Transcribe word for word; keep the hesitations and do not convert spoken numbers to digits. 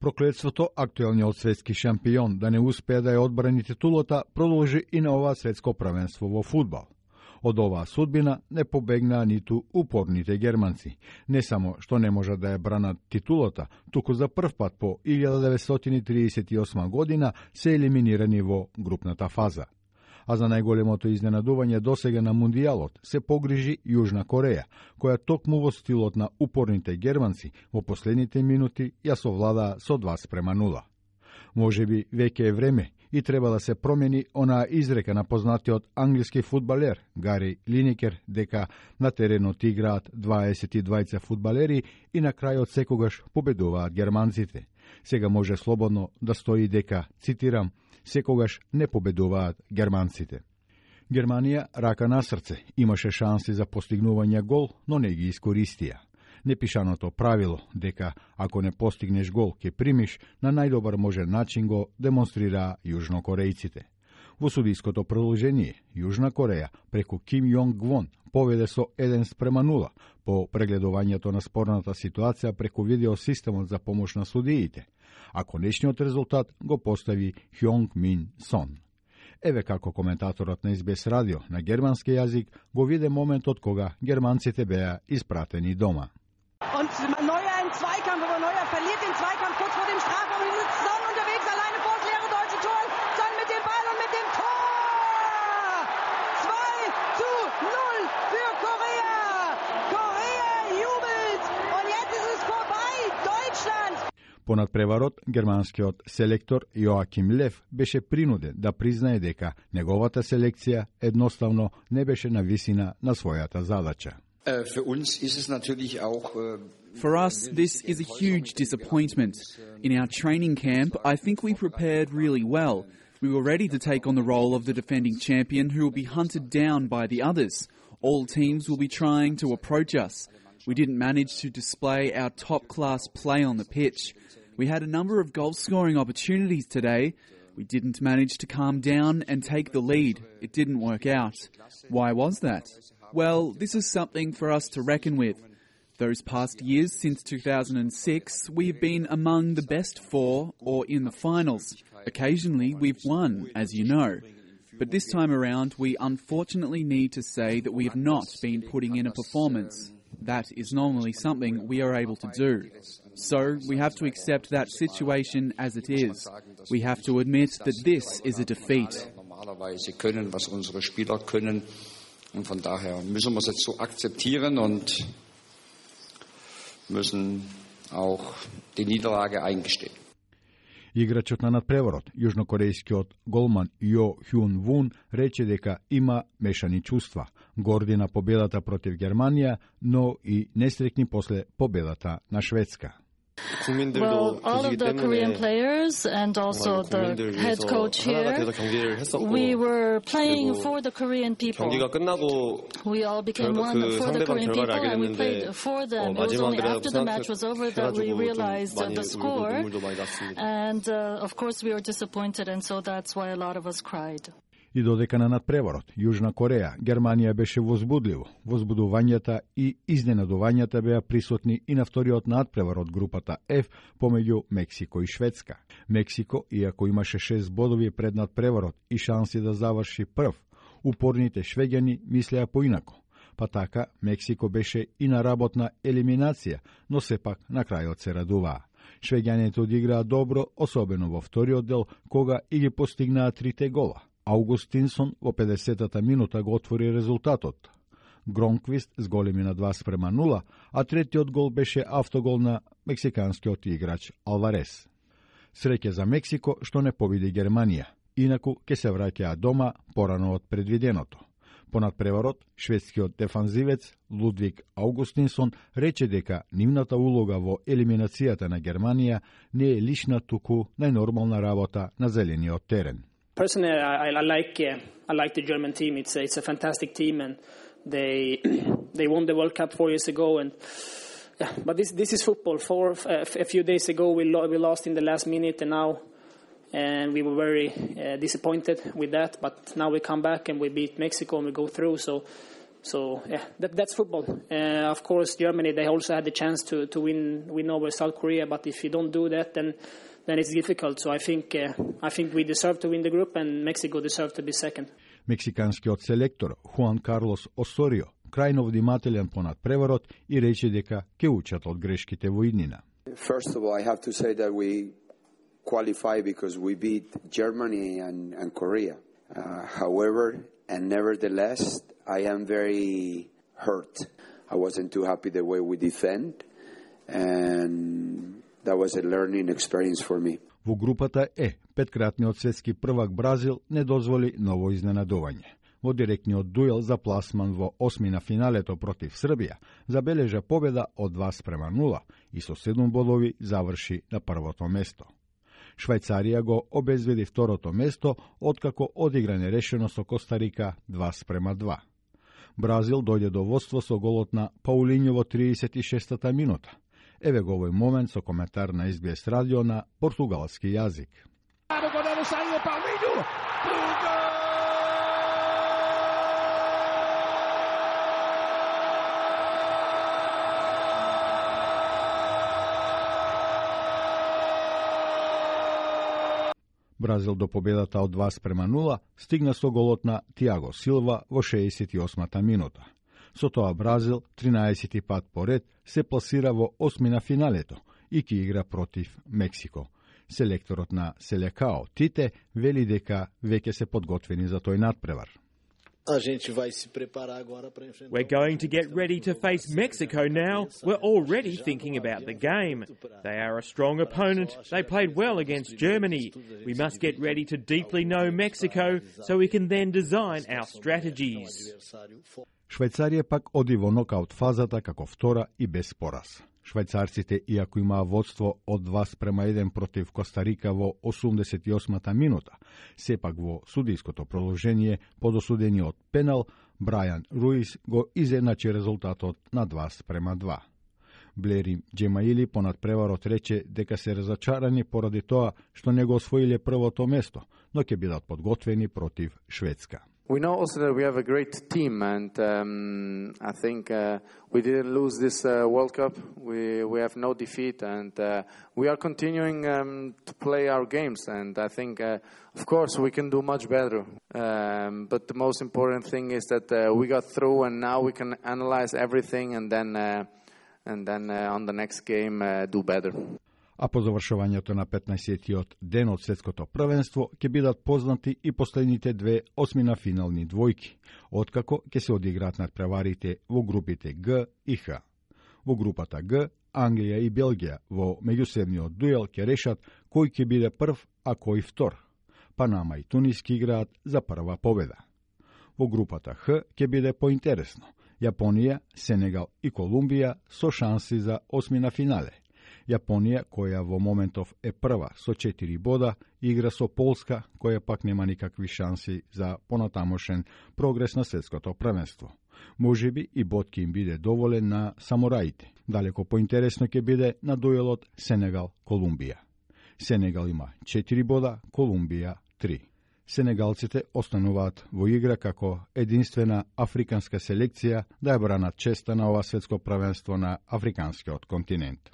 Проклетството актуелниот светски шампион да не успее да ја одбрани титулата продолжи и на ова светско првенство во фудбал. Од оваа судбина не побегнаа ниту упорните германци. Не само што не можат да ја бранат титулата, туку за прв пат по илјада деветстотини тридесет и осма година се елиминирани во групната фаза. А за најголемото изненадување досега на Мундијалот се погрижи Јужна Кореја, која токму во стилот на упорните германци во последните минути ја совладаа со два спрема нула. Можеби веќе е време и треба да се промени онаа изрека на познатиот англиски фудбалер Гари Линекер дека на теренот играат дваесет и двајца фудбалери и на крајот секогаш победуваат германците. Сега може слободно да стои дека, цитирам, секогаш не победуваат германците. Германија, рака на срце, имаше шанси за постигнување гол, но не ги искористија. Непишаното правило дека ако не постигнеш гол ќе примиш, на најдобар можен начин го демонстрираа јужнокорејците. Во судиското продолжение, Јужна Кореја преку Ким Јонг Гвон поведе со еден спрема нула по прегледувањето на спорната ситуација преку видеосистемот за помош на судиите, а конечниот резултат го постави Хјонг Мин Сон. Еве како коментаторот на Ес Би Ес радио на германски јазик го виде моментот кога германците беа испратени дома. Und Neuer im Zweikampf, aber Neuer verliert den Zweikampf kurz vor dem Strafraum. Son unterwegs, alleine vor das leere deutsche Tor. Son mit dem Ball und mit dem Tor! zwei zu null für Korea. Korea jubelt und jetzt ist es vorbei. Deutschland! По надпреварот, германскиот селектор Јоаким Лев беше принуден да признае дека неговата селекција едноставно не беше на висина на својата задача. For us, this is a huge disappointment. In our training camp, I think we prepared really well. We were ready to take on the role of the defending champion who will be hunted down by the others. All teams will be trying to approach us. We didn't manage to display our top-class play on the pitch. We had a number of goal-scoring opportunities today. We didn't manage to calm down and take the lead. It didn't work out. Why was that? Well, this is something for us to reckon with. Those past years, since two thousand six, we've been among the best four or in the finals. Occasionally, we've won, as you know. But this time around, we unfortunately need to say that we have not been putting in a performance. That is normally something we are able to do. So, we have to accept that situation as it is. We have to admit that this is a defeat. Und von daher müssen wir es jetzt so akzeptieren und müssen auch die Niederlage eingestehen. Играчот на надпреварот, јужнокорејскиот голман Јо Хјун Вун, рече дека има мешани чувства, горди на победата против Германија, но и несрекни после победата на Шведска. Well, all of the Korean players and also the head coach here, we were playing for the Korean people. We all became one for the Korean people and we played for them. It was only after the match was over that we realized the score. And uh, of course we were disappointed, and so that's why a lot of us cried. И додека на надпреварот, Јужна Кореја, Германија беше возбудливо. Возбудувањата и изненадувањата беа присутни и на вториот надпревар од групата Ф помеѓу Мексико и Шведска. Мексико, иако имаше шест бодови пред надпреварот и шанси да заврши прв, упорните швеѓани мислеа поинако. Па така, Мексико беше и на работна елиминација, но сепак на крајот се радуваа. Швеѓаните одиграа добро, особено во вториот дел, кога и ги постигнаа трите гола. Аугустинсон во педесетата минута го отвори резултатот. Гронквист зголеми на два спрема нула, а третиот гол беше автогол на мексиканскиот играч Алварес. Среќа за Мексико што не победи Германија, инаку ќе се враќаа дома порано од предвиденото. По надпреварот, шведскиот дефанзивец Лудвиг Аугустинсон рече дека нивната улога во елиминацијата на Германија не е лична, туку најнормална работа на зелениот терен. Personally, I, I like uh, I like the German team. It's a, it's a fantastic team, and they they won the World Cup four years ago. And yeah, but this this is football. Four uh, a few days ago, we lo- we lost in the last minute, and now and we were very uh, disappointed with that. But now we come back and we beat Mexico and we go through. So So yeah, that, that's football. Uh, of course, Germany, they also had the chance to to win win over South Korea, but if you don't do that, then then it's difficult. So I think uh, I think we deserve to win the group, and Mexico deserve to be second. Мексиканскиот селектор Хуан Карлос Осорио крајно внимателен понад преварот и рече дека ќе учат од грешките во иднина. First of all, I have to say that we qualify because we beat Germany and, and Korea. Uh, however, and nevertheless, I am very hurt. I wasn't too happy the way we defend, and that was a learning experience for me. Во групата Е, петкратниот светски првак Бразил не дозволи ново изненадување. Во директниот дуел за пласман во осмина финалето против Србија забележа победа од два спрема нула и со седум бодови заврши на првото место. Швајцарија го обезведи второто место, откако одигра нерешено со Костарика два спрема два. Бразил дојде до водство со голот на Паулињо во триесет и шестата минута. Еве го овој момент со коментар на Ес Би Ес радио на португалски јазик. Бразил до победата од два спрема нула стигна со голот на Тиаго Силва во шеесет и осмата минута. Со тоа Бразил тринаесети пат поред се пласира во осмина финалето и ќе игра против Мексико. Селекторот на Селекао Тите вели дека веќе се подготвени за тој надпревар. We're going to get ready to face Mexico now. We're already thinking about the game. They are a strong opponent. They played well against Germany. We must get ready to deeply know Mexico so we can then design our strategies. Швајцарија пак оди во нокаут фазата како втора и без пораз. Швајцарците, иако имаа водство од два спрема еден против Костарика во осумдесет и осмата минута, сепак во судиското продолжение под осудениот пенал, Брајан Руис го изедначи резултатот на два спрема два. Блери Джемаили понад преварот рече дека се разочарани поради тоа што не го освоиле првото место, но ќе бидат подготвени против Шведска. We know also that we have a great team, and um, I think uh, we didn't lose this uh, World Cup. We we have no defeat, and uh, we are continuing um, to play our games. And I think, uh, of course, we can do much better. Um, but the most important thing is that uh, we got through, and now we can analyze everything, and then uh, and then uh, on the next game uh, do better. А по завршувањето на петнаесеттиот ден од светското првенство ќе бидат познати и последните две осмина финални двојки, откако ќе се одиграат надпреварите во групите Г и Х. Во групата Г, Англија и Белгија во меѓусебниот дуел ќе решат кој ќе биде прв, а кој втор. Панама и Тунис ќе играат за прва победа. Во групата Х ќе биде поинтересно. Јапонија, Сенегал и Колумбија со шанси за осмина финале. Јапонија, која во моментов е прва со четири бода, игра со Полска, која пак нема никакви шанси за понатамошен прогрес на светското првенство. Можеби и бодки им биде доволен на самураите. Далеко поинтересно ќе биде на дуелот Сенегал-Колумбија. Сенегал има четири бода, Колумбија три. Сенегалците остануваат во игра како единствена африканска селекција да ја бранат честа на ова светско првенство на африканскиот континент.